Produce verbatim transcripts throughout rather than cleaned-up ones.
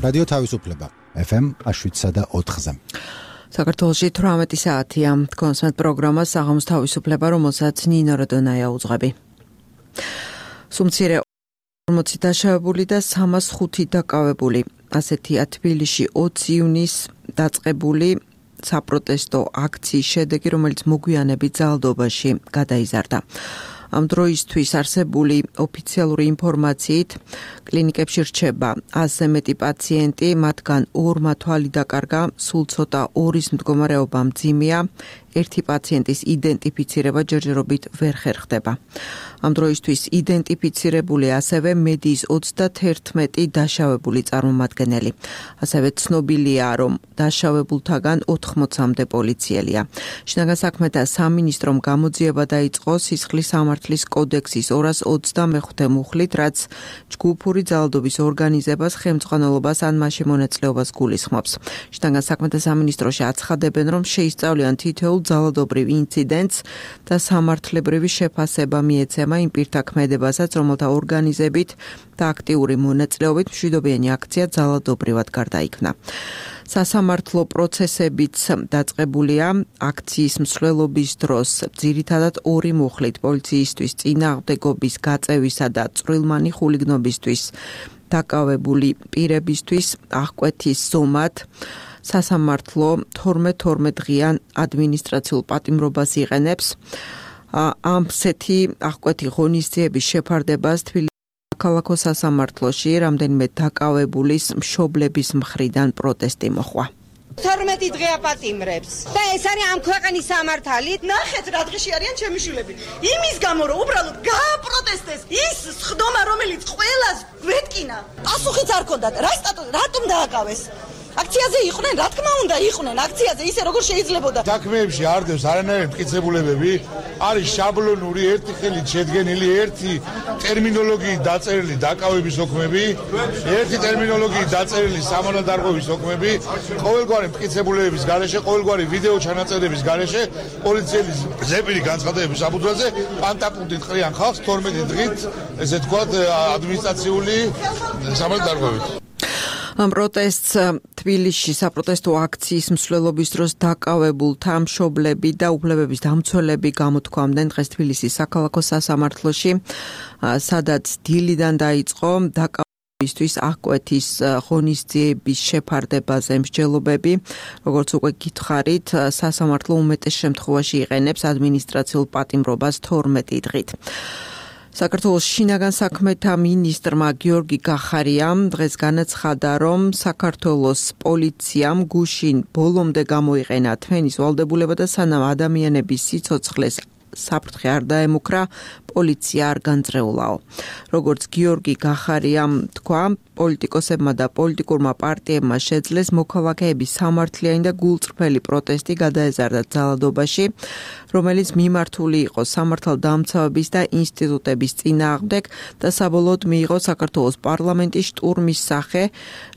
რადიო თავისუფლება ეფ ემ შვიდსა და ოთხზე. საქართველოში თვრამეტი საათია. კონსმეთ პროგრამა საღამოს თავისუფლება, რომელსაც ნინო როდონაია უძღვები. სუმცირე ორმოცი დაშავებული და სამას ხუთი დაკავებული. ასეთია თბილისში ოცი ივნისს დაწყებული საპროტესტო აქციის შედეგი, რომელიც მოგვიანებით ძალადობაში გადაიზარდა. ამ დროისთვის არსებული ოფიციალური ინფორმაციით კლინიკებში რჩება ათზე მეტი პაციენტი, მათგან ორმა თვალი დაკარგა, სულ ცოტა ორის მდგომარეობა მძიმეა, ერთი პაციენტის იდენტიფიცირება ჯერჯერობით ვერ ხერხდება. ამ დროისთვის იდენტიფიცირებული ასევე მედიის ოცდაათერთმეტი დაშავებული წარმომადგენელი. ასევე ცნობილია, რომ დაშავებულთაგან ოთხმოცამდე პოლიციელია. შინაგან საქმეთა სამინისტრომ გამოძიება დაიწყო სისხლის სამართლის კოდექსის ორას ოცდამეხუთე მუხლით, რაც ჯგუფური ძალადობის ორგანიზებას, ხელმძღვანელობას ან მასში მონაწილეობას გულისხმობს. შინაგან საქმეთა სამინისტროში აცხადებენ, რომ შეისწავლიან თითოეულ ძალადობრივ ინციდენტს და სამართლებრივი შეფასება მიეცემა იმ პირთა ქმედებასაც, რომელთა ორგანიზებით და აქტიური მონაწილეობით მშვიდობიანი აქცია ძალადობრივად გარდაიქმნა. სასამართლო პროცესებიც დაწყებულია აქციის მსვლელობის დროს, ძირითადად ორი მუხლით პოლიციისთვის წინააღმდეგობის გაწევისა და წვრილმანი ხულიგნობისთვის დაკავებული პირებისთვის აღკვეთის ზომად სასამართლო თორმეტ-თორმეტ დღიან ადმინისტრაციულ პატიმრობას იყენებს. ამსეთი აღკვეთი ღონისძიების შეფარდებას თბილისის საქალაქო სასამართლოში რამდენიმე დაკავებულის მშობლების მხრიდან პროტესტი მოხვა. თორმეტი დღე აპატიმრებს და ეს არის ამ ქვეყნის სამართალი. ნახეთ რა დღეში არიან ჩემი შვილები. იმის გამო რომ უბრალოდ გააპროტესტეს ის სხდომა, რომელიც ყველას გვეთკინა. პასუხიც არ ქონდათ. რა სტატუსი, რატომ დააკავეს? აქციაზე იყვნენ, რა თქმა უნდა იყვნენ აქციაზე, ისე როგორ შეიძლებოდა. საქმეებში არდევს არანაირი მტკიცებულებები, არის შაბლონური ერთი ხელით შედგენილი ერთი ტერმინოლოგიით დაწერილი დაკავების ოქმები, ერთი ტერმინოლოგიით დაწერილი სამონადარღვევის ოქმები, ყოველგვარი მტკიცებულებების გარეშე, ყოველგვარი ვიდეო ჩანაწერების გარეშე, პოლიციელის ზეპირი განცხადებების საფუძველზე პანტაპუნტით ყრიან ხალხს თორმეტი დღით, ესე თქვათ, ადმინისტრაციული სამონადარღვევით. ამ პროტესტს თბილისში საპროტესტო აქციის მსვლელობის დროს დაკავებულთა მშობლები და უფლებების დამცველები გამოთქვამდნენ დღეს თბილისის საქალაქო სასამართლოში, სადაც დილიდან დაიწყო დაკავებისთვის აღკვეთის ღონისძიების შეფარდებაზე მსჯელობები. როგორც უკვე გითხარით, სასამართლო უმეტეს შემთხვევაში იყენებს ადმინისტრაციულ პატიმრობას თორმეტი დღით. საქართველოს შინაგან საქმეთა მინისტრმა გიორგი გახარიამ დღეს განაცხადა, რომ საქართველოს პოლიციამ გუშინ ბოლომდე გამოიყენა თმენის ვალდებულება და სანამ ადამიანების სიცოცხლეს საფრთხე არ დაემუქრა, პოლიცია არ განწრეულაო. როგორც გიორგი გახარიამ თქვა, პოლიტიკოსებმა და პოლიტიკურმა პარტიებმა შეძლეს მოქალაქეების სამართლიანი და გულწრფელი პროტესტი გადაეზარდა ძალადობაში, რომელიც მიმართული იყო სამართალდამცავების და ინსტიტუტების წინააღმდეგ და საბოლოოდ მიიღო საქართველოს პარლამენტის შტურმის სახე,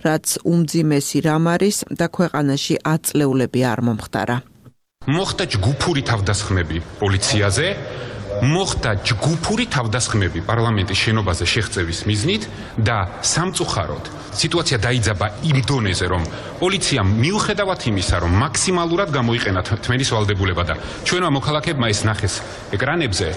რაც უმძიმესი რამ არის და ქვეყანაში ათწლეულები არ მომხდარა. მოხდა ჯგუფური თავდასხმები პოლიციაზე, მოხდა ჯგუფური თავდასხმები პარლამენტის შენობაზე შეღწევის მიზნით და სამწუხაროდ სიტუაცია დაიძაბა იმ დონეზე, რომ პოლიციამ მიუხედავად იმისა, რომ მაქსიმალურად გამოიყენა თმენის ვალდებულება და ჩვენმა მოქალაქეებმა ეს ნახეს ეკრანებზე,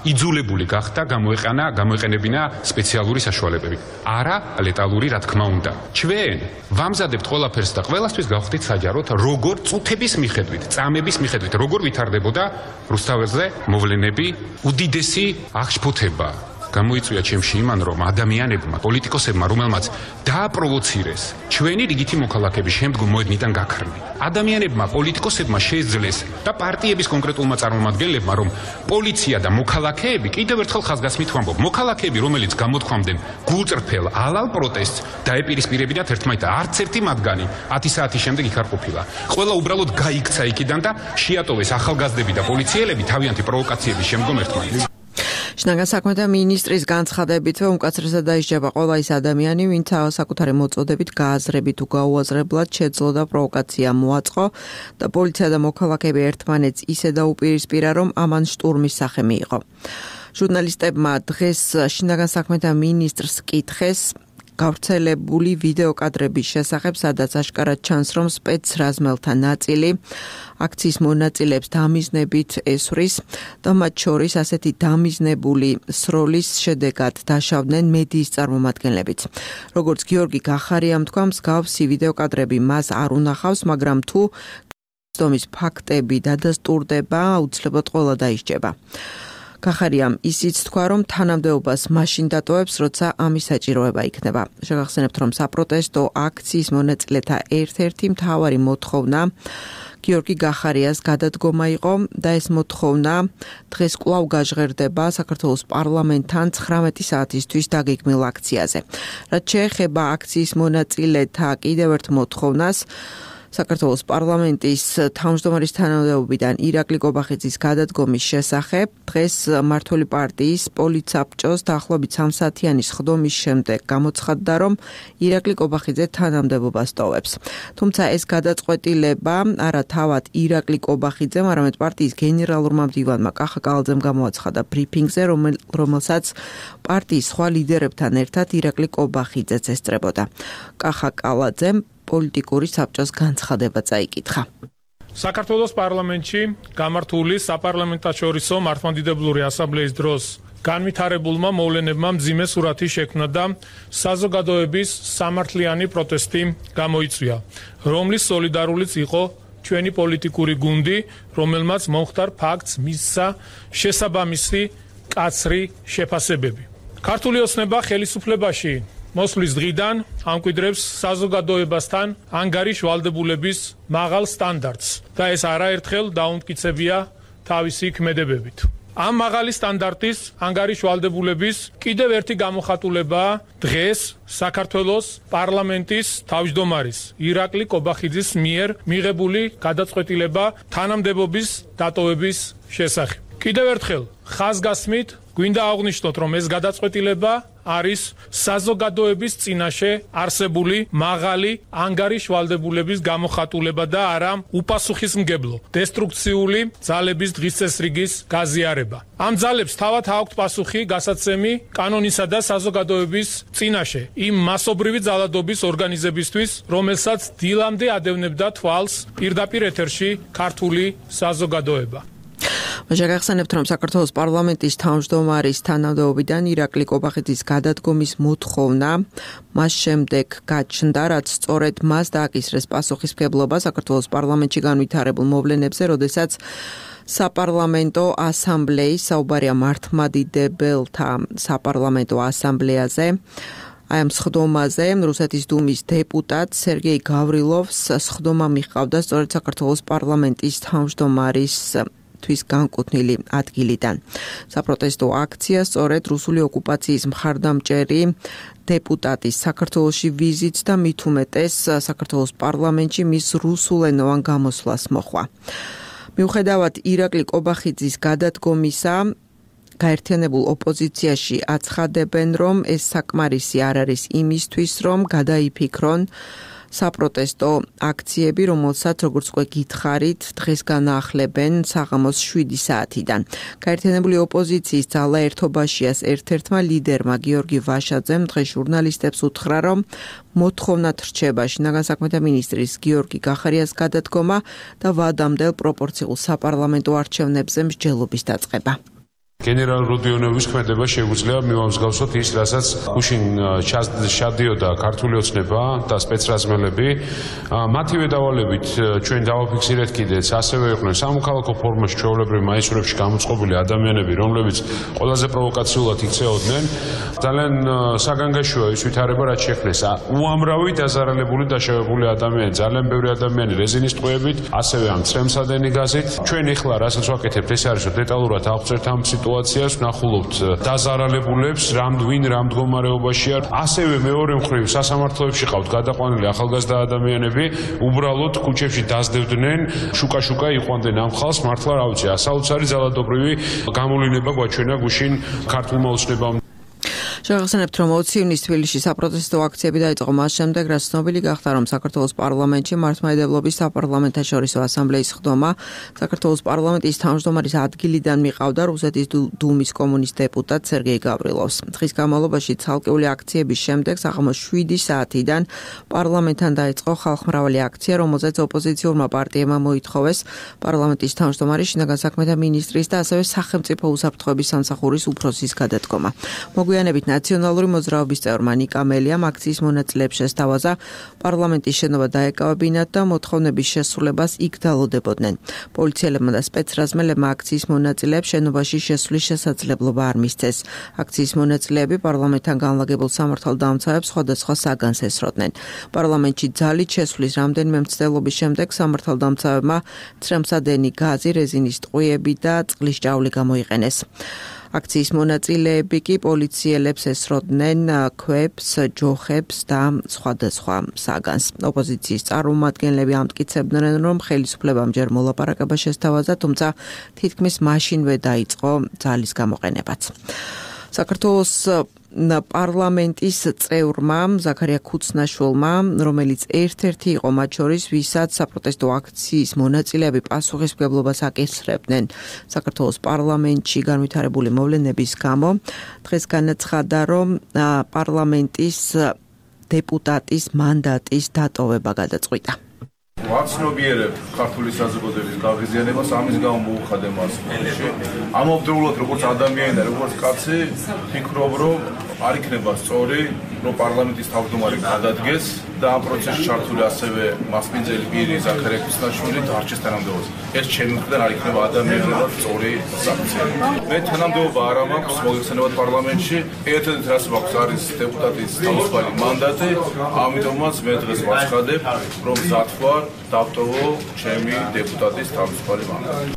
იძულებული გახდა გამოეყენა, გამოეყენებინა სპეციალური საშუალებები. არა ლეტალური, რა თქმა უნდა. ჩვენ ვამზადებთ ყველაფერს და ყველასთვის გავხდით საჯაროდ, როგორ წუთების მიხედვით, წამების მიხედვით, როგორ ვითარდებოდა რუსთაველზე მოვლენები, უდიდესი აღშფოთება. გამოიწვია ჩემში იმან, რომ ადამიანებმა, პოლიტიკოსებმა, რომელმაც დააპროვოცირეს ჩვენი რიგითი მოქალაქეები, შემდგომ მოედნიდან გაქრნენ. ადამიანებმა, პოლიტიკოსებმა შეძლეს და პარტიების კონკრეტულმა წარმომადგენლებმა, რომ პოლიცია და მოქალაქეები, კიდევ ერთხელ ხაზგასმით ვამბობ, მოქალაქეები, რომელიც გამოთქვამდნენ გულწრფელ ალალ პროტესტს, დაეპირისპირებინათ ერთმანეთს, არც ერთი მათგანი ათი საათის შემდეგ იქ არ ყოფილა. ყველა უბრალოდ გაიქცა იქიდან და შეატოვეს ახალგაზრდები და პოლიციელები თავიანთი პროვოკაციების შემდგომ ერთმანეთს. შინაგან საქმეთა მინისტრის განცხადებით, რომ უკაცრესად დაისჯება ყველა ის ადამიანი, ვინც საკუთარი მოწოდებით, გააზრებით თუ გაუაზრებლად შეძლო და პროვოკაცია მოაწყო და პოლიცია და მოქალაქეები ერთმანეთს ისე დაუპირისპირა, რომ ამან შტურმის სახე მიიღო. ჟურნალისტებმა დღეს შინაგან საქმეთა მინისტრს კითხეს, გავრცელებული ვიდეო კადრების შესახებ, სადაც აშკარად ჩანს, რომ სპეცრაზმელთა ნაწილი აქციის მონაწილეებს დამიზნებით ესვრის და მათ შორის ასეთი დამიზნებული სროლის შედეგად დაშავდნენ მედიის წარმომადგენლებიც. როგორც გიორგი გახარიამ თქვა, მსგავსი ვიდეო კადრები მას არ უნახავს, მაგრამ თუ ცდომის ფაქტები დადასტურდება, აუცილებლად ყველა დაისჯება. გახარიამ ისიც თქვა, რომ თანამდებობას მაშინ დატოვებს, როცა ამის საჭიროება იქნება. შეგახსენებთ, რომ საპროტესტო აქციის მონაწილეთა ერთ-ერთი მთავარი მოთხოვნა გიორგი გახარიას გადადგომა იყო და ეს მოთხოვნა დღეს კვლავ გაჟღერდება საქართველოს პარლამენტთან ცხრამეტი საათისთვის დაგეგმილ აქციაზე. რაც შეეხება აქციის მონაწილეთა კიდევ ერთ მოთხოვნას, საქართველოს პარლამენტის თავმჯდომარის თანამდებობიდან ირაკლი კობახიძის გადადგომის შესახებ დღეს მმართველი პარტიის პოლიცაბჭოს დაახლოებით სამსაათიანი სხდომის შემდეგ გამოცხადდა, რომ ირაკლი კობახიძე თანამდებობას ტოვებს. თუმცა ეს გადაწყვეტილება არა თავად ირაკლი კობახიძემ, არამედ პარტიის გენერალურმა მდივანმა კახა კალაძემ გამოაცხადა ბრიფინგზე, რომელსაც პარტიის სხვა ლიდერებთან ერთად ირაკლი კობახიძეც ესწრებოდა. კახა კალაძემ პოლიტიკური საბჭოს განცხადება წაიკითხა. საქართველოს პარლამენტში გამართული საპარლამენტაშორისო მართლმადიდებლური ასამბლეის დროს განვითარებულმა მოვლენებმა მძიმე სურათი შექმნა და საზოგადოების სამართლიანი პროტესტი გამოიწვია, რომლის სოლიდარულიც იყო ჩვენი პოლიტიკური გუნდი, რომელმაც მომხდარ ფაქტს მისცა შესაბამისი კაცრი შეფასებები. ქართული ოცნება ხელისუფლებაში მოსვლის დღიდან ამკვიდრებს საზოგადოებასთან ანგარიშ ვალდებულების მაღალ სტანდარტს და ეს არაერთხელ დაუმტკიცებია თავისი ქმედებებით. ამ მაღალი სტანდარტის ანგარიშ ვალდებულების კიდევ ერთი გამოხატულებაა დღეს საქართველოს პარლამენტის თავმჯდომარის ირაკლი კობახიძის მიერ მიღებული გადაწყვეტილება თანამდებობის დატოვების შესახებ. კიდევ ერთხელ ხაზგასმით გვინდა აღვნიშნოთ, რომ ეს გადაწყვეტილება არის საზოგადოების წინაშე არსებული მაღალი ანგარიშ ვალდებულების გამოხატულება და არა უპასუხისმგებლო დესტრუქციული ძალების დღისწესრიგის გაზიარება. ამ ძალებს თავად აქვთ პასუხი გასაცემი კანონისა და საზოგადოების წინაშე იმ მასობრივი ძალადობის ორგანიზებისთვის, რომელსაც დილამდე ადევნებდა თვალს პირდაპირ ეთერში ქართული საზოგადოება. შეგახსენებთ, რომ საქართველოს პარლამენტის თავმჯდომარის თანამდებობიდან ირაკლი კობახიძის გადადგომის მოთხოვნა მას შემდეგ გაჩნდა, რაც სწორედ მას დააკისრეს პასუხისმგებლობა საქართველოს პარლამენტში განვითარებულ მოვლენებზე, როდესაც საპარლამენტო ასამბლეის საუბარია მართლმადიდებელთა საპარლამენტო ასამბლეაზე. აი ამ სხდომაზე რუსეთის დუმის დეპუტატ სერგეი გავრილოვს სხდომა მიჰყავდა სწორედ საქართველოს პარლამენტის თავმჯდომარის თვის განკუთვნილი ადგილიდან. საპროტესტო აქცია სწორედ რუსული ოკუპაციის მხარდამჭერი დეპუტატის საქართველოში ვიზიტს და მით უმეტეს საქართველოს პარლამენტში მის რუსულენოვან გამოსვლას მოჰყვა. მიუხედავად ირაკლი კობახიძის გადადგომისა, გაერთიანებულ ოპოზიციაში აცხადებენ, რომ ეს საკმარისი არ არის იმისთვის, რომ გადაიფიქრონ საპროტესტო აქციები, რომელსაც როგორც უკვე გითხარით, დღეს განაახლებენ საღამოს შვიდი საათიდან. გაერთიანებული ოპოზიციის ძალა ერთობაშიას ერთ-ერთმა ლიდერმა გიორგი ვაშაძემ დღეს ჟურნალისტებს უთხრა, რომ მოთხოვნად რჩება შინაგან საქმეთა მინისტრის გიორგი გახარიას გადადგომა და ვადამდელ პროპორციულ საპარლამენტო არჩევნებზე მსჯელობის დაწყება. გენერალ როდიონოვის ქმედება შეუძლია მივამსგავსოთ ის, რასაც გუშინ ჩადიოდა ქართული ოცნება და სპეცრაზმელები. მათივე დავალებით ჩვენ დავაფიქსირეთ კიდეც, ასევე იყვნენ სამოქალაქო ფორმაში ჩვეულებრივ მაისურებში გამოწყობილი ადამიანები, რომლებიც ყველაზე პროვოკაციულად იქცეოდნენ. ძალიან საგანგაშოა ის ვითარება, რაც შექმნეს. უამრავი დაზარალებული დაშავებული ადამიანი, ძალიან ბევრი ადამიანი რეზინის ტყვეებით, ასევე ამ წრემსადენი გაზით. ჩვენ ეხლა რასაც ვაკეთებთ, ეს არის რომ დეტალურად ავწერთ ამ სიტუაციას, ვნახულობთ დაზარალებულებს, რამ ვინ რამ მდგომარეობაშია. ასევე მეორე მხრივ სასამართლოებში ყავთ გადაყვანილი ახალგაზრდა ადამიანები, უბრალოდ ქუჩებში დაზდევდნენ, შუკა-შუკა იყვანდნენ ამ ხალხს, მართლა რა ვიცი, საოცარი ძალადობრივი გამოვლენა გვაჩვენა გუშინ ქართულმა ოცნებამ. შევახსენებთ, რომ ოცი ივნისს თბილისში საპროტესტო აქციები დაიწყო მას შემდეგ, რაც ცნობილი გახდა, რომ საქართველოს პარლამენტში მართლმადიდებლობის საპარლამენტაშორისო ასამბლეის ხდომა საქართველოს პარლამენტის თავმჯდომარის ადგილიდან მიყავდა რუსეთის დუმის კომუნისტ დეპუტატ სერგეი გავრილოვს. დღის განმავლობაში ცალკეული აქციების შემდეგ საღამოს შვიდი საათიდან პარლამენტთან დაიწყო ხალხმრავალი აქცია, რომელზეც ოპოზიციურმა პარტიებმა მოითხოვეს პარლამენტის თავმჯდომარის შინაგან საქმეთა მინისტრის და ასევე სახელმწიფო უსაფრთხოების სამსახურის უფროსის გადადგომა. მოგვიანებით ნაციონალური მოძრაობის წევრმა ნიკა მელიამ აქციის მონაწილეებს შესთავაზა პარლამენტის შენობა დაეკავებინათ და მოთხოვნების შესრულებას იქ დალოდებოდნენ. პოლიციელებმა და სპეცრაზმელებმა აქციის მონაწილეებს შენობაში შესვლის შესაძლებლობა არ მისცეს. აქციის მონაწილეები პარლამენტთან განლაგებულ სამართალდამცავებს სხვადასხვა საგანს ესროდნენ. პარლამენტში ძალით შესვლის რამდენიმე მცდელობის შემდეგ სამართალდამცავებმა ცრემსადენი გაზი, რეზინის ტყვიები და წყლის ჭავლი გამოიყენეს. აქციის მონაწილეები კი პოლიციელებს ესროდნენ ქვებს, ჯოხებს და სხვადასხვა საგანს. ოპოზიციის წარმომადგენლები ამტკიცებდნენ, რომ ხელისუფლებამ ჯერ მოლაპარაკება შესთავაზა, თუმცა თითქმის მაშინვე დაიწყო ძალის გამოყენებაც. საქართველოს პარლამენტის წევრმა ზაქარია ქუცნაშვილმა, რომელიც ერთ-ერთი იყო მათ შორის, ვისაც საპროტესტო აქციის მონაწილეები პასუხისმგებლობას აკისრებდნენ საქართველოს პარლამენტში განვითარებული მოვლენების გამო, დღეს განაცხადა, რომ პარლამენტის დეპუტატის მანდატის დატოვება გადაწყვიტა. ვაცნობიერებ ქართული საზოგადოების გაღიზიანებას, ამის გამო მოუხადე მას. ამავდროულად როგორც ადამიანი და როგორც კაცი, ფიქრობ, რომ არ იქნება სწორი, რომ პარლამენტის თავმჯდომარე გადადგეს და ამ პროცესში ჩართული ასევე მასპინძელი პირი ზაქარია ქუცნაშვილი დარჩეს თანამდებობაზე. ეს ჩემი მხრიდან არ იქნება ადამიანურად სწორი საქცია. მე თანამდებობა არ მაქვს მოგეხსენებათ პარლამენტში, ერთადერთი რაც მაქვს არის დეპუტატის თავისუფალი მანდატი, ამიტომაც მე დღეს ვაცხადებ, რომ მზად ვარ დავტოვო ჩემი დეპუტატის თავისუფალი მანდატი.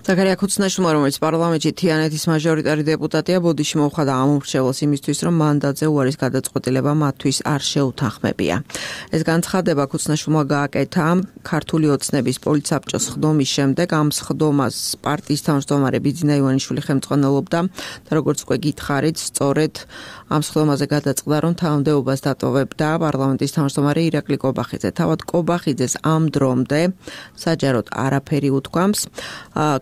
ზაქარია ქუცნაშვილმა, რომელიც პარლამენტში თიანეთის მაჟორიტარი დეპუტატია, ბოდიში მოუხადა ამ უმრჩეველს იმისთვის, რომ მანდატზე უარის გადაწყვეტილება მათთვის არ შეუთანხმებია. ეს განცხადება ქუცნაშვილმა გააკეთა ქართული ოცნების პოლიცსაბჭოს ხდომის შემდეგ. ამ ხდომას პარტიის თავმჯდომარე ბიძინა ივანიშვილი ხელმძღვანელობდა და როგორც უკვე გითხარით, სწორედ ამ ხდომაზე გადაწყდა, რომ თანამდებობას დატოვებდა პარლამენტის თავმჯდომარე ირაკლი კობახიძე. თავად კობახიძეს ამ დრომდე საჯაროდ არაფერი უთქვამს.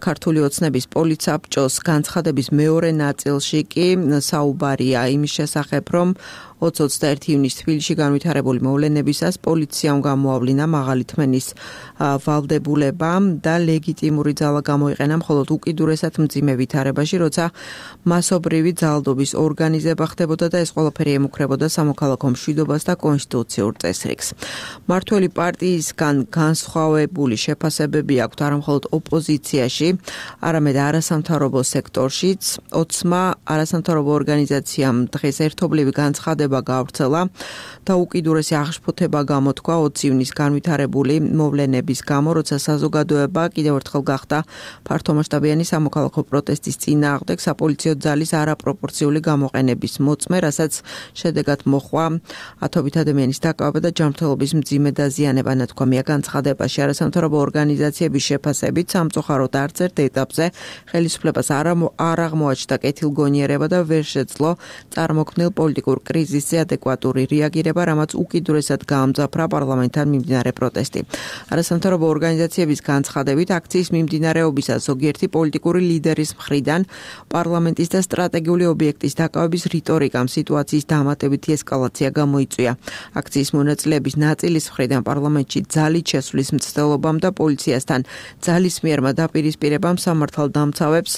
ქართული ოცნების პოლიცსაბჭოს განცხადების მეორე ნაწილში კი საუბარია იმის შესახებ, რომ ოცი ოცდაერთი ივნისს თბილისში განვითარებული მოვლენებისას პოლიციამ გამოავლინა მაღალი თმენის ვალდებულება და ლეგიტიმური ძალა გამოიყენა მხოლოდ უკიდურესად მძიმე ვითარებაში, როცა მასობრივი ძალადობის ორგანიზება ხდებოდა და ეს ყველაფერი ემუქრებოდა სამოქალაქო მშვიდობას და კონსტიტუციურ წესრიგს. მმართველი პარტიისგან განსხვავებული შეფასებები აქვთ არა მხოლოდ ოპოზიციაში, არამედ არასამთავრობო სექტორშიც. ოცმა არასამთავრობო ორგანიზაციამ დღეს ერთობლივი განცხადება გავრცელა და უკიდურესი აღშფოთება გამოთქვა ოცი ივნისს განვითარებული მოვლენების გამო, როცა საზოგადოება კიდევ ერთხელ გახდა ფართომასშტაბიანი სამოქალაქო პროტესტის წინააღმდეგ საპოლიციო ძალის არაპროპორციული გამოყენების მოწმე, რასაც შედეგად მოჰყვა ათობით ადამიანის დაკავება და ჯანმრთელობის მძიმე დაზიანება. ნათქვამია განცხადებაში, არასამთავრობო ორგანიზაციების შეფასებით სამწუხაროდ არც ერთ ეტაპზე ხელისუფლებას არ აღმოაჩნდა კეთილგონიერება და ვერ შეძლო წარმოქმნილ პოლიტიკურ კრიზისზე ადეკვატური რეაგირება, რამაც უკიდურესად გაამძაფრა პარლამენტთან მიმდინარე პროტესტი. არასამთავრობო ორგანიზაციების განცხადებით, აქციის მიმდინარეობისას ზოგიერთი პოლიტიკური ლიდერის მხრიდან პარლამენტის და სტრატეგიული ობიექტის დაკავების რიტორიკამ სიტუაციის დამატებითი ესკალაცია გამოიწვია. აქციის მონაწილეების ნაწილის მხრიდან პარლამენტში ძალით შესვლის მცდელობამ და პოლიციასთან ძალის მიერმა დაპირისპირებამ სამართალდამცავებს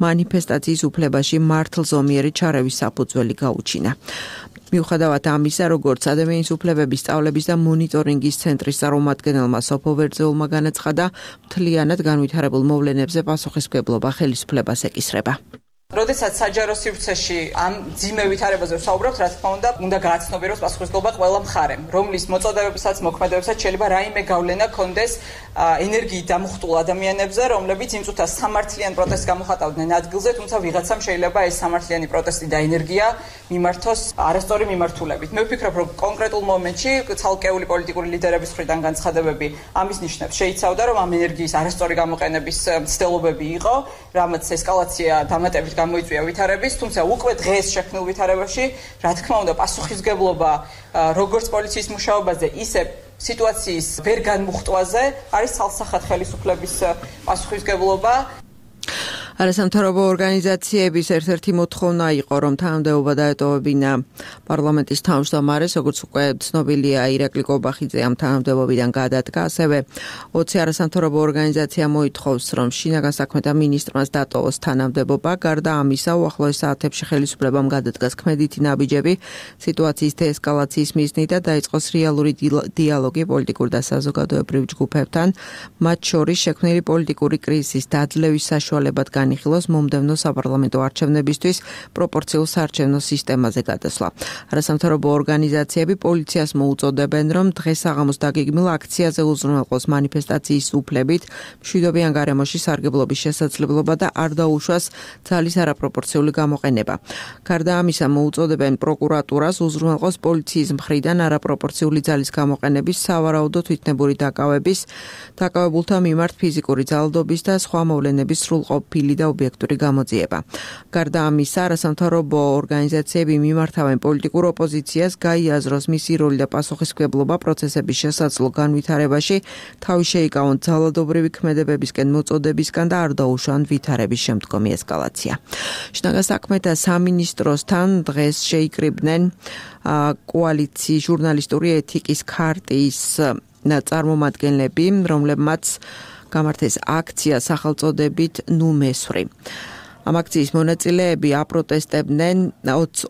მანიფესტაციის უფლებაში მართლზომიერი ჩარევის საფუძველი გაუჩინა. მიუხედავად ამისა, როგორც ადამიანის უფლებების სწავლების და მონიტორინგის ცენტრის წარმომადგენელმა სოფო ვერძეულმა განაცხადა, მთლიანად განვითარებულ მოვლენებზე პასუხისმგებლობა ხელისუფლებას ეკისრება. როდესაც საჯარო სივრცეში ამ ძიმე ვითარებაზე ვსაუბრობთ, რა თქმა უნდა, უნდა გააცნობიეროს პასუხისმგებლობა ყველა მხარემ, რომლის მოწოდებებსაც, მოქმედებებსაც შეიძლება რაიმე გავლენა კონდეს ენერგიით დამუხტულ ადამიანებზე, რომლებიც იმ წუთას სამართლიან პროტესტს გამოხატავდნენ ადგილზე, თუმცა ვიღაცამ შეიძლება ეს სამართლიანი პროტესტი და ენერგია მიმართოს არასწორი მიმართულებით. მე ვფიქრობ, რომ კონკრეტულ მომენტში ცალკეული პოლიტიკური ლიდერების მხრიდან განცხადებები ამის ნიშნებს შეიცავდა, რომ ამ ენერგიის არასწორი გამოყენების მცდელობები იყო, რამაც ესკალაცია დამატებით გამოიწვია ვითარების, თუმცა უკვე დღეს შექმნილ ვითარებაში, რა თქმა უნდა, პასუხისგებლობა როგორც პოლიციის მუშაობაზე, ისე სიტუაციის ვერ განმუხტვაზე არის ცალსახად ხელისუფლების პასუხისგებლობა. არასამთავრობო ორგანიზაციების ერთ-ერთი მოთხოვნა იყო, რომ თანამდებობა დაეტოვებინა პარლამენტის თავმჯდომარეს, როგორც უკვე ცნობილია, ირაკლი კობახიძე ამ თანამდებობიდან გადადგა, ასევე ოცი არასამთავრობო ორგანიზაცია მოითხოვს, რომ შინაგან საქმეთა მინისტრმაც დატოვოს თანამდებობა. გარდა ამისა, უახლოეს საათებში ხელისუფლებამ გადადგას ქმედითი ნაბიჯები სიტუაციის დეესკალაციის მიზნით და დაიწყოს რეალური დიალოგი პოლიტიკურ და საზოგადოებრივ ჯგუფებთან, მათ შორის შექმნილი პოლიტიკური კრიზისის დაძლევის საშუალებად განიხილოს მომდევნო საპარლამენტო არჩევნებისთვის პროპორციულ საარჩევნო სისტემაზე გადასვლა. არასამთავრობო ორგანიზაციები პოლიციას მოუწოდებენ, რომ დღეს საღამოს დაგეგმილ აქციაზე უზრუნველყოს მანიფესტაციის უფლებით მშვიდობიან გარემოში სარგებლობის შესაძლებლობა და არ დაუშვას ძალის არაპროპორციული გამოყენება. გარდა ამისა, მოუწოდებენ პროკურატურას უზრუნველყოს პოლიციის მხრიდან არაპროპორციული ძალის გამოყენების, სავარაუდო თვითნებური დაკავების, დაკავებულთა მიმართ ფიზიკური ძალადობის და სხვა მოვლენების სრულყოფილი და ობიექტური გამოძიება. გარდა ამისა, არასამთავრობო ორგანიზაციები მიმართავენ პოლიტიკურ ოპოზიციას გაიაზროს მისი როლი და პასუხისმგებლობა პროცესების შესაძლო განვითარებაში, თავი შეიკავონ ძალადობრივი ქმედებებისკენ მოწოდებისგან და არ დაუშვან ვითარების შემდგომი ესკალაცია. შინაგან საქმეთა სამინისტროსთან დღეს შეიკრიბნენ კოალიციის ჟურნალისტური ეთიკის ქარტიის წარმომადგენლები, რომლებმაც გამართეს აქცია სახელწოდებით ნუ მესვრი. ამ აქციის მონაწილეები აპროტესტებდნენ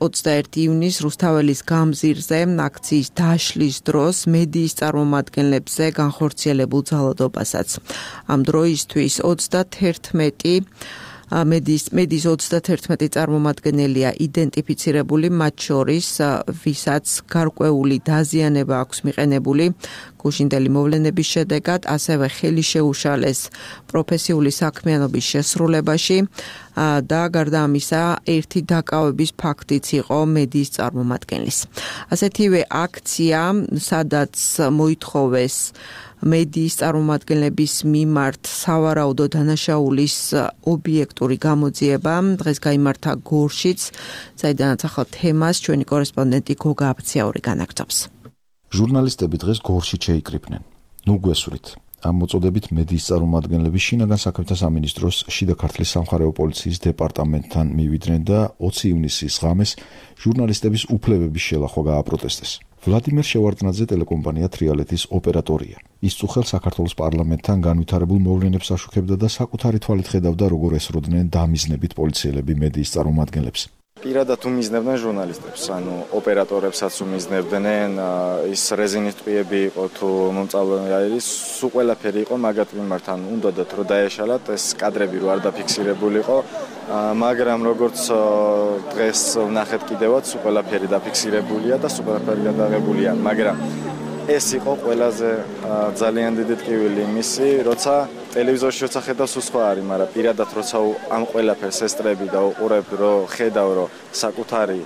ოცდაერთი ივნისს რუსთაველის გამზირზე აქციის დაშლის დროს მედიის წარმომადგენლებზე განხორციელებულ ძალადობასაც. ამ დროისთვის ოცდათერთმეტი მედიის მედიის ოცდათერთმეტი წარმომადგენელია იდენტიფიცირებული, მათ შორის ვისაც გარკვეული დაზიანება აქვს მიყენებული გუშინდელი მოვლენების შედეგად, ასევე ხელი შეუშალეს პროფესიული საქმიანობის შესრულებაში და გარდა ამისა ერთი დაკავების ფაქტიც იყო მედიის წარმომადგენლის. ასეთივე აქცია, სადაც მოითხოვეს მედიის წარმომადგენლების მიმართ სავარაუდო დანაშაულის ობიექტური გამოძიება, დღეს გაიმართა გორშიც, საიდანაც ახალ თემას ჩვენი კორესპონდენტი გოგა აფციაური განაგრძობს. ჟურნალისტები დღეს გორშით შეიკრიბნენ. ნუ გვესვრით. ამ მოწოდებით მედიის წარმომადგენლები შინაგან საქმეთა სამინისტროს შიდა ქართლის სამხარეო პოლიციის დეპარტამენტთან მივიდნენ და ოცი ივნისის ღამეს ჟურნალისტების უფლებების შელახვა გააპროტესტეს. ვლადიმერ შევარდნაძე ტელეკომპანია თრიალეთის ოპერატორია. ის წუხელ საქართველოს პარლამენტთან განვითარებულ მოვლენებს აშუქებდა და საკუთარი თვალით ხედავდა, როგორ ესროდნენ დამიზნებით პოლიციელები მედიის წარმომადგენლებს. პირადად უმიზნებდნენ ჟურნალისტებს, ანუ ოპერატორებსაც უმიზნებდნენ, ის რეზინის ტყვიები იყო თუ მომწავლე არის, სულ ყველაფერი იყო მაგათ მიმართ, ანუ უნდათ რომ დაეშალათ, ეს კადრები რო არ დაფიქსირებულიყო, მაგრამ როგორც დღეს ვნახეთ კიდევაც, სულ ყველაფერი დაფიქსირებულია და სულ ყველაფერი გადაღებულია, მაგრამ ეს იყო ყველაზე ძალიან დიდი ტკივილი იმისი, როცა ტელევიზორში როცა ხედავ სულ სხვა არის, მაგრამ პირადად როცა ამ ყველაფერს ესწრები და უყურებ, რომ ხედავ, რომ საკუთარი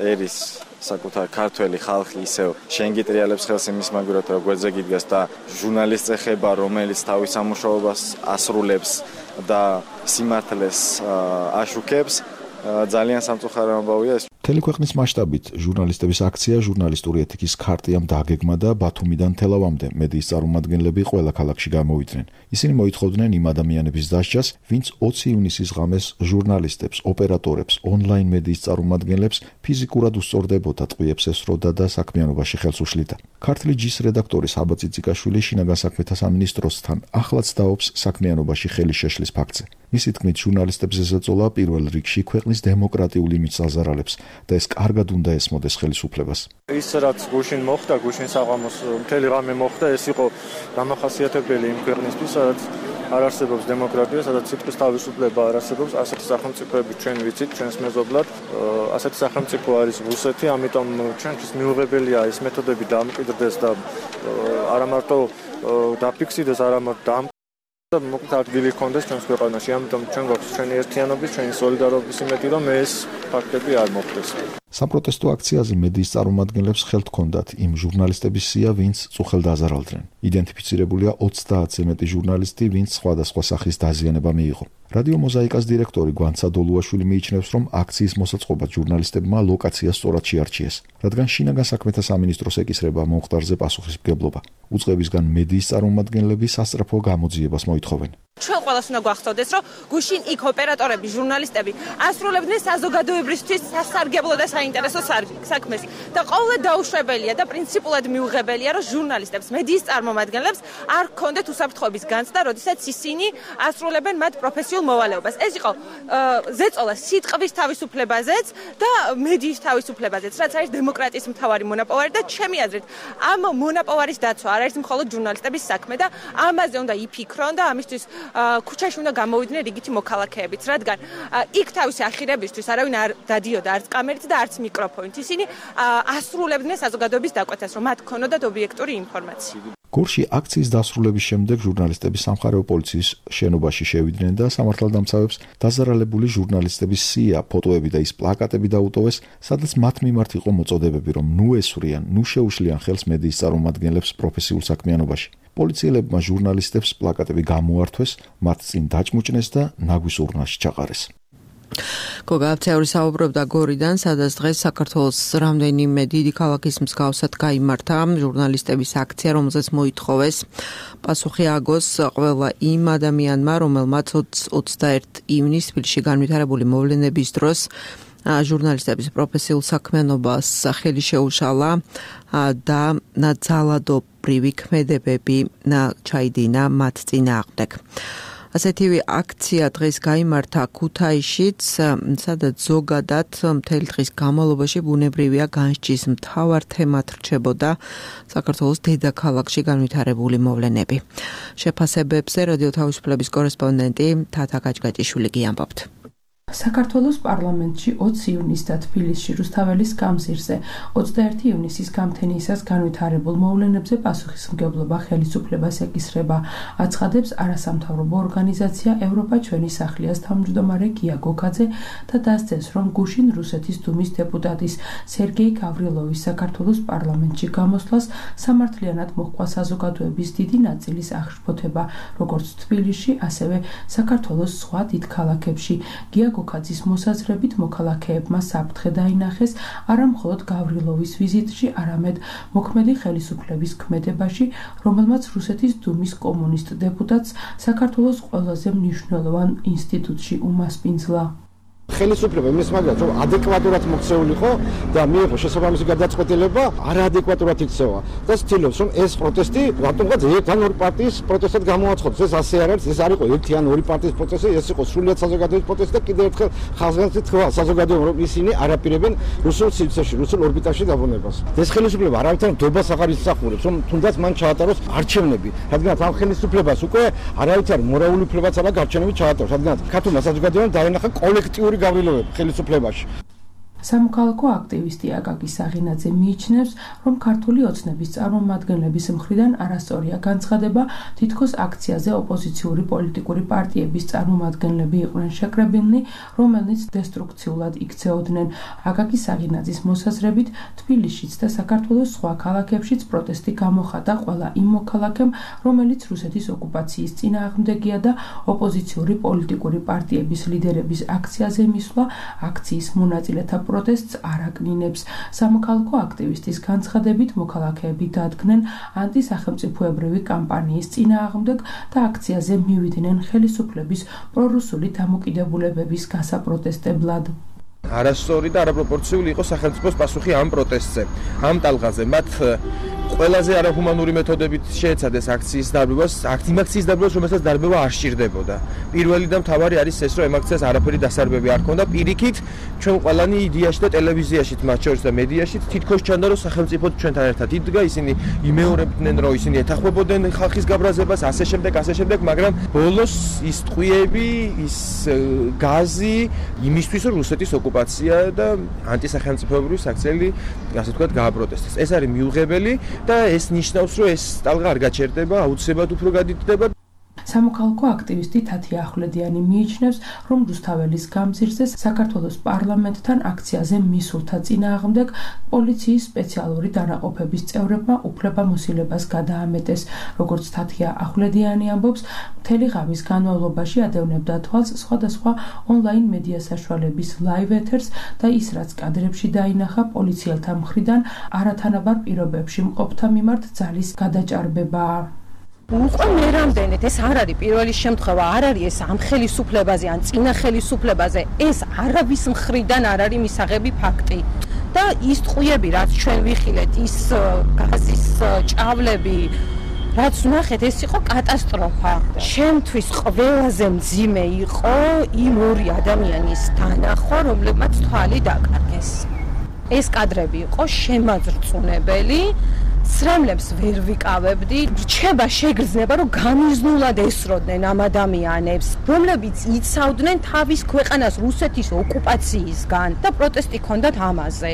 ერის, საკუთარი ქართველი ხალხი ისევ შენ გიტრიალებს ხელს იმის მაგურად, რომ გვერდზე გიდგას და ჟურნალისტს ეხება, რომელიც თავის სამუშაობას ასრულებს და სიმართლეს აშუქებს, ძალიან სამწუხარო ამბავია ეს. მთელი ქვეყნის მასშტაბით ჟურნალისტების აქცია ჟურნალისტური ეთიკის ქარტიამ დაგეგმა და ბათუმიდან თელავამდე მედიის წარმომადგენლები ყველა ქალაქში გამოვიდნენ. ისინი მოითხოვდნენ იმ ადამიანების დასჯას, ვინც ოცი ივნისის ღამეს ჟურნალისტებს, ოპერატორებს, ონლაინ მედიის წარმომადგენლებს ფიზიკურად უსწორდებოდა, ტყვიებს ესროდა და საქმიანობაში ხელს უშლიდა. ქართული ჯის რედაქტორი საბა ციციკაშვილი შინაგან საქმეთა სამინისტროსთან ახლაც დაობს საქმიანობაში ხელის შეშლის ფაქტზე. მისი თქმით, ჟურნალისტებს ესწოლა პირველ რიგში ქვეყნის დემოკრატიული მიწაზარალებს და ეს კარგად უნდა ესმოდეს ხელისუფლებას. ის რაც გუშინ მოხდა, გუშინ საღამოს მთელი ღამე მოხდა, ეს იყო დამახასიათებელი იმ ქვეყნისთვის, სადაც არ არსებობს დემოკრატია, სადაც სიტყვის თავისუფლება არ არსებობს, ასეთი სახელმწიფოები ჩვენ ვიცით, ჩვენს მეზობლად, ასეთი სახელმწიფო არის რუსეთი, ამიტომ ჩვენთვის მიუღებელია ეს მეთოდები დამკვიდრდეს და არა მარტო დაფიქსირდეს, არა მარტო და მოკლედ ადგილი ჰქონდეს ჩვენს ქვეყანაში, ამიტომ ჩვენ გვაქვს ჩვენი ერთიანობის, ჩვენი სოლიდარობის იმედი, რომ ეს ფაქტები არ მოხდეს. საპროტესტო აქციაზე მედიის წარმომადგენლებს ხელთ ჰქონდათ იმ ჟურნალისტების სია, ვინც წუხელ დაზარალდნენ. იდენტიფიცირებულია ოცდაათზე მეტი ჟურნალისტი, ვინც სხვადასხვა სახის დაზიანება მიიღო. რადიო მოზაიკას დირექტორი გვანცა დოლუაშვილი მიიჩნევს, რომ აქციის მოსაწყობად ჟურნალისტებმა ლოკაცია სწორად შეარჩიეს, რადგან შინაგან საქმეთა სამინისტროს ეკისრება მომხდარზე პასუხისმგებლობა. უწყებისგან მედიის წარმომადგენლები სასწრაფო გამოძიებას მოითხოვენ. ჩვენ ყველას უნდა გვახსოვდეს, რომ გუშინ იქ ოპერატორები, ჟურნალისტები ასრულებდნენ საზოგადოებრისთვის სასარგებლო და საინტერესო საქმეს და ყოველდღე დაუშვებელია და პრინციპულად მიუღებელია, რომ ჟურნალისტებს, მედიის წარმომადგენლებს არ ჰქონდეთ უსაფრთხოების განცდა, როდესაც ისინი ასრულებენ მათ პროფესიულ მოვალეობას. ეს იყო ზეწოლა სიტყვის თავისუფლებაზეც და მედიის თავისუფლებაზეც, რაც არის დემოკრატიის მთავარი მონაპოვარი და ჩემი აზრით, ამ მონაპოვარის დაცვა არ არის მხოლოდ ჟურნალისტების საქმე და ამაზე უნდა იფიქრონ და ამისთვის ქუჩაში უნდა გამოვიდნენ რიგითი მოქალაქეებიც, რადგან იქ თავისი ახირებისთვის არავინ არ დადიოდა არც კამერით და არც მიკროფონით. ისინი ასრულებდნენ საზოგადოების დაკვეთას, რომ მათ ქონოდათ ობიექტური ინფორმაცია. გორში აქციის დასრულების შემდეგ ჟურნალისტები სამხარეო პოლიციის შენობაში შევიდნენ და სამართალდამცავებს დაზარალებული ჟურნალისტების სია, ფოტოები და ის პლაკატები დაუტოვეს, სადაც მათ მიმართ იყო მოწოდებები, რომ ნუ ესვრიან, ნუ შეუშლიან ხელს მედიის წარმომადგენლებს პროფესიულ საქმიანობაში. პოლიციელებმა ჟურნალისტებს პლაკატები გამოართვეს, მათ წინ დაჭმუჭნეს და ნაგვის ურნაში ჩაყარეს. გოგავცეური საუბრობდა გორიდან, სადაც დღეს საქართველოს რამდენიმე დიდი ქალაქის მსგავსად გაიმართა ჟურნალისტების აქცია, რომელზეც მოითხოვეს პასუხი აგოს ყველა იმ ადამიანმა, რომელმაც ოცდაერთი ივნისს თბილისში განვითარებული მოვლენების დროს ჟურნალისტების პროფესიულ საქმიანობას ხელი შეუშალა და ძალადობრივი ქმედებები ჩაიდინა მათ წინააღმდეგ. ასეთივე აქცია დღეს გაიმართა ქუთაისშიც, სადაც ზოგადად მთელი დღის განმავლობაში ბუნებრივია განსჯის მთავარ თემად რჩებოდა საქართველოს დედაქალაქში განვითარებული მოვლენები. შეფასებებზე რადიო თავისუფლების კორესპონდენტი თათა გაჭგაჭიშვილი გიამბობთ. საქართველოს პარლამენტში ოცი ივნისს და თბილისში რუსთაველის გამზირზე ოცდაერთი ივნისის გამთენიისას განვითარებულ მოვლენებზე პასუხისმგებლობა ხელისუფლებას ეკისრება, აცხადებს არასამთავრობო ორგანიზაცია ევროპა ჩვენი სახლიას თავმჯდომარე გია გოქაძე და დასძენს, რომ გუშინ რუსეთის დუმის დეპუტატის სერგეი გავრილოვის საქართველოს პარლამენტში გამოსვლას სამართლიანად მოჰყვა საზოგადოების დიდი ნაწილის აღშფოთება, როგორც თბილისში, ასევე საქართველოს სხვა დიდ ქალაქებში. გია გოქაძის მოსაზრებით მოქალაქეებმა საფრთხე დაინახეს არა მხოლოდ გავრილოვის ვიზიტში, არამედ მოქმედი ხელისუფლების ქმედებაში, რომელმაც რუსეთის დუმის კომუნისტ დეპუტატს საქართველოს ყველაზე მნიშვნელოვან ინსტიტუტში უმასპინძლა. ხელისუფლება იმის მაგათ, რომ ადეკვატურად მოქცეულიყო და მიიღო შესაბამისი გადაწყვეტილება არაადეკვატურად იქცევა და ცდილობს, რომ ეს პროტესტი რატომღაც ერთ ან ორი პარტიის პროტესტად გამოაცხადოს. ეს ასე არ არის, ეს არ იყო ერთი ან ორი პარტიის პროტესტი, ეს იყო სრულიად საზოგადოების პროტესტი და კიდევ ერთხელ ხალხს თქვა საზოგადოებამ, რომ ისინი არ აპირებენ რუსულ სივრცეში, რუსულ ორბიტაში დაბრუნებას. ეს ხელისუფლება არავითარ ნდობას აღარ ისახურებს, რომ თუნდაც მან ჩაატაროს არჩევნები, რადგან ამ ხელისუფლებას უკვე არავითარ მორალური უფლებაც არა გარჩენები ჩაატაროს, რადგან ქართულმა საზოგადოებამ დაენახა კოლექტიური გავრილოვება ხელისუფლებაში. სამოქალაქო აქტივისტი აკაკი საღინაძე მიიჩნევს, რომ ქართული ოცნების წარმომადგენლების მხრიდან არასწორია განცხადება, თითქოს აქციაზე ოპოზიციური პოლიტიკური პარტიების წარმომადგენლები იყვნენ შეკრებილნი, რომელნიც დესტრუქციულად იქცეოდნენ. აკაკი საღინაძის მოსაზრებით, თბილისშიც და საქართველოს სხვა ქალაქებშიც პროტესტი გამოხატა ყველა იმ მოქალაქემ, რომელიც რუსეთის ოკუპაციის წინააღმდეგია და ოპოზიციური პოლიტიკური პარტიების ლიდერების აქციაზე მისვლა აქციის მონაწილეთა პროტესტს არ აკნინებს. სამოქალაქო აქტივისტის განცხადებით, მოქალაქეები დადგნენ ანტისახელმწიფოებრივი კამპანიის წინააღმდეგ და აქციაზე მივიდნენ ხელისუფლების პრორუსული დამოკიდებულებების გასაპროტესტებლად. არასწორი და არაპროპორციული იყო სახელმწიფოს პასუხი ამ პროტესტზე. ამ ტალღაზე მათ ყველაზე არაჰუმანური მეთოდებით შეეცადეს აქციის დარბევას, იმ აქციის დარბევას, რომელსაც დარბევა არ სჭირდებოდა. პირველი და მთავარი არის ეს, რომ ამ აქციას არაფერი დასარბები არ ქონდა. პირიქით, ჩვენ ყველანი იდეაში და ტელევიზიაში, მათ შორის და მედიაში თითქოს ჩანდა, რომ სახელმწიფო ჩვენთან ერთად იდგა, ისინი იმეორებდნენ, რომ ისინი ეთანხმებოდნენ ხალხის გაბრაზებას, ასე შემდეგ, ასე შემდეგ, მაგრამ ბოლოს ის ტყვიები, ის გაზი იმისთვის, რომ რუსეთის ოკუპაცია და ანტისახელმწიფოებრივი საქციელი, ასე ვთქვათ, გააპროტესტეს. ეს არის მიუღებელი და ეს ნიშნავს, რომ ეს ტალღა არ გაჩერდება, აუცილებლად უფრო გადიდდება. სამოქალაქო აქტივისტი თათია ახვლედიანი მიიჩნევს, რომ რუსთაველის გამზირზე საქართველოს პარლამენტთან აქციაზე მისულთა წინააღმდეგ პოლიციის სპეციალური დანაყოფების წევრებმა უფლებამოსილებას გადაამეტეს. როგორც თათია ახვლედიანი ამბობს, მთელი ღამის განმავლობაში ადევნებდა თვალს სხვადასხვა ონლაინ მედია საშუალების ლაივ ეთერს და ის, რაც კადრებში დაინახა, პოლიციელთა მხრიდან არათანაბარ პირობებში მყოფთა მიმართ ძალის გადაჭარბებაა. უყო მე რამდენად ეს არ არის პირველი შემთხვევა, არ არის ეს ამ ხელისუფლებაზე ან წინა ხელისუფლებაზე, ეს არავის მხრიდან არ არის მისაღები ფაქტი. და ის ტყუები, რაც ჩვენ ვიხილეთ, ის გაზის ჭავლები, რაც ვნახეთ, ეს იყო კატასტროფა. ჩემთვის ყველაზე მძიმე იყო იმ ორი ადამიანის დანახვა, რომლებმაც თვალი დაკარგეს. ეს კადრები იყო შემაძრწუნებელი. სრემლებს ვერ ვიკავებდი, რჩება შეგრძნება, რომ გამიზნულად ესროდნენ ამ ადამიანებს, რომლებიც იცავდნენ თავის ქვეყანას რუსეთის ოკუპაციისგან და პროტესტი ჰქონდათ ამაზე.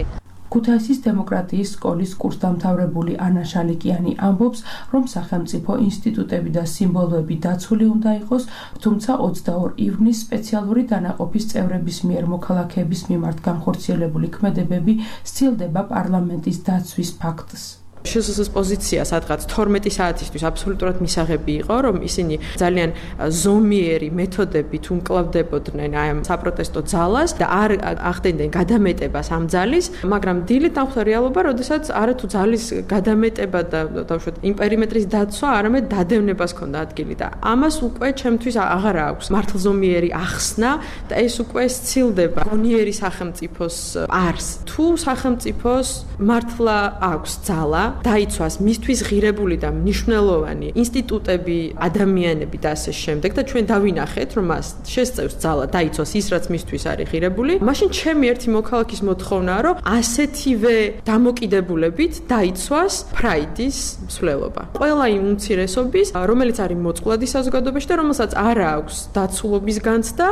ქუთაისის დემოკრატიის სკოლის კურსდამთავრებული ანა შალიკიანი ამბობს, რომ სახელმწიფო ინსტიტუტები და სიმბოლოები დაცული უნდა იყოს, თუმცა ოცდაორი ივნისს სპეციალური დანაყოფის წევრების მიერ მოქალაქეების მიმართ განხორციელებული ქმედებები სცილდება პარლამენტის დაცვის ფაქტს. შსს პოზიცია სადღაც თორმეტი საათისთვის აბსოლუტურად მისაღები იყო, რომ ისინი ძალიან ზომიერი მეთოდებით უმკლავდებოდნენ აი ამ საპროტესტო ძალას და არ ახდენდნენ გადამეტებას ამ ძალის, მაგრამ დილით დახვდა რეალობა, როდესაც არათუ ძალის გადამეტება და დავუშვათ იმ პერიმეტრის დაცვა, არამედ დადევნებას ჰქონდა ადგილი და ამას უკვე ჩემთვის აღარ აქვს მართლზომიერი ახსნა და ეს უკვე სცილდება გონიერი სახელმწიფოს არს. თუ სახელმწიფოს მართლა აქვს ძალა დაიცვას მისთვის ღირებული და მნიშვნელოვანი ინსტიტუტები, ადამიანები და ასე შემდეგ და ჩვენ დავინახეთ, რომ მას შესწევს ძალა დაიცვას ის, რაც მისთვის არის ღირებული, მაშინ ჩემი ერთი მოქალაქის მოთხოვნაა, რომ ასეთივე დამოკიდებულებით დაიცვას ფრაიდის მსვლელობა. ყველა იმ უმცირესობის, რომელიც არის მოწყვლადი საზოგადოებაში და რომელსაც არ აქვს დაცულობის განცდა.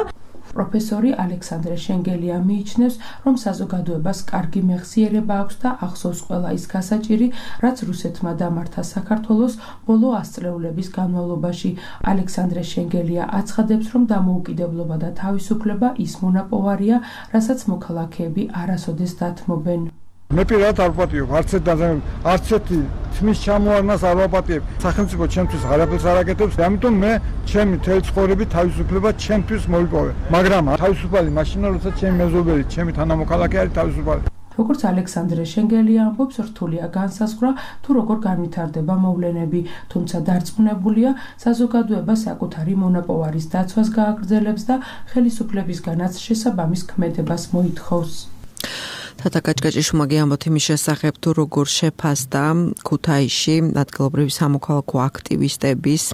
პროფესორი ალექსანდრე შენგელია მიიჩნევს, რომ საზოგადოებას კარგი მეხსიერება აქვს და ახსოვს ყველა ის გასაჭირი, რაც რუსეთმა დამართა საქართველოს ბოლო ასწლეულების განმავლობაში. ალექსანდრე შენგელია აცხადებს, რომ დამოუკიდებლობა და თავისუფლება ის მონაპოვარია, რასაც მოქალაქეები არასოდეს დათმობენ. მე პირადად არ ვპატიებ, არც ერთ დაზიანებას, არც ერთი თმის ჩამოარნას არ ვაპატიებ. სახელმწიფო ჩემთვის არაფერს არ აკეთებს, ამიტომ მე ჩემი თელი ცხოვრებით თავისუფლება ჩემთვის მოვიპოვე. მაგრამ თავისუფალი მაშინა, როდესაც ჩემი მეზობელი, ჩემი თანამოქალაქე არის თავისუფალი. როგორც ალექსანდრე შენგელია ამბობს, რთულია განსაზღვრა, თუ როგორ განვითარდება მოვლენები, თუმცა დარწმუნებულია, საზოგადოება საკუთარი მონაპოვარის დაცვას გააგრძელებს და ხელისუფლებისგანაც შესაბამის ქმედებას მოითხოვს. თათა კაჭკაჭიშვილმა ამბობთ იმის შესახებ, თუ როგორ შეფასდა ქუთაისში ადგილობრივი სამოქალაქო აქტივისტების,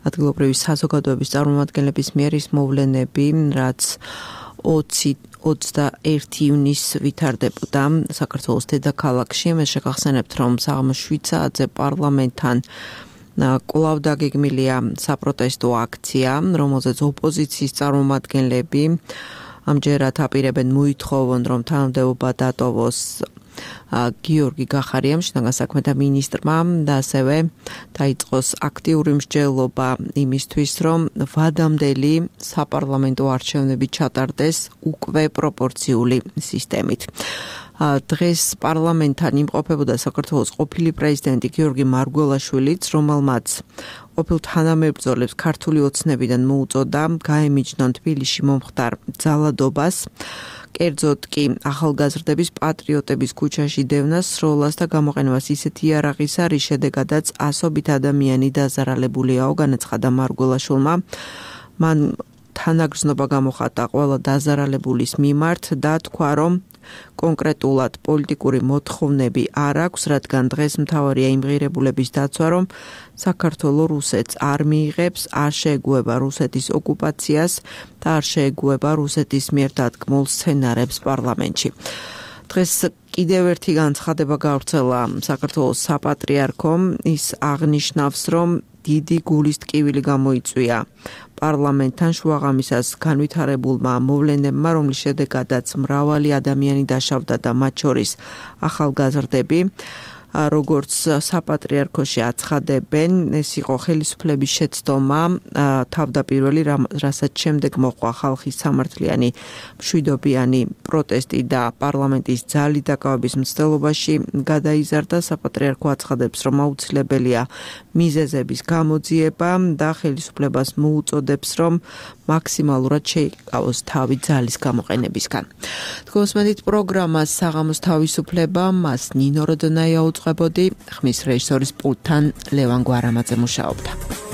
ადგილობრივი საზოგადოების წარმომადგენლების მიერ ის მოვლენები, რაც ოცდაერთი ივნისს ვითარდებოდა საქართველოს დედაქალაქში. მე შეგახსენებთ, რომ საღამოს შვიდ საათზე პარლამენტთან კვლავ დაგეგმილია საპროტესტო აქცია, რომელზეც ოპოზიციის წარმომადგენლები ამჯერად აპირებენ მოითხოვონ, რომ თანამდებობა დატოვოს გიორგი გახარიამ, შინაგან საქმეთა მინისტრმა და ასევე დაიწყოს აქტიური მსჯელობა იმისთვის, რომ ვადამდელი საპარლამენტო არჩევნები ჩატარდეს უკვე პროპორციული სისტემით. დღეს პარლამენტთან იმყოფებოდა საქართველოს ყოფილი პრეზიდენტი გიორგი მარგველაშვილიც, რომელმაც ყოფილ თანამებრძოლებს ქართული ოცნებიდან მოუწოდა გაემიჯნონ თბილისში მომხდარ ძალადობას, კერძოდ კი ახალგაზრდების პატრიოტების ქუჩაში დევნას, სროლას და გამოყენებას ისეთი იარაღისა, რის შედეგადაც ასობით ადამიანი დაზარალებულიაო, განაცხადა მარგველაშვილმა. მან თანაგრძნობა გამოხატა ყველა დაზარალებულის მიმართ და თქვა, რომ კონკრეტულად პოლიტიკური მოთხოვნები არ აქვს, რადგან დღეს მთავარია იმ ღირებულების დაცვა, რომ საქართველო რუსეთს არ მიიღებს, არ შეეგუება რუსეთის ოკუპაციას და არ შეეგუება რუსეთის მიერ დადგმულ სცენარებს პარლამენტში. დღეს კიდევ ერთი განცხადება გავრცელა საქართველოს საპატრიარქომ, ის აღნიშნავს, რომ დიდი გულის ტკივილი გამოიწვია პარლამენტთან შუაღამისას განვითარებულმა მოვლენებმა, რომლის შედეგადაც მრავალი ადამიანი დაშავდა და მათ შორის ახალგაზრდები. როგორც საპატრიარქოში აცხადებენ, ეს იყო ხელისუფლების შეცდომა თავდაპირველი, რასაც შემდეგ მოყვა ხალხის სამართლიანი მშვიდობიანი პროტესტი და პარლამენტის ძალი დაკავების მცდელობაში გადაიზარდა. საპატრიარქო აცხადებს, რომ აუცილებელია მიზეზების გამოძიება და ხელისუფლებას მოუწოდებს, რომ მაქსიმალურად შეიკავოს თავი ძალის გამოყენებისგან. თქვენსმენით პროგრამას საღამოს თავისუფლება, მას ნინო როდონაია უწყებოდი, ხმის რეჟისორის პულტთან ლევან გვარამაძე მუშაობდა.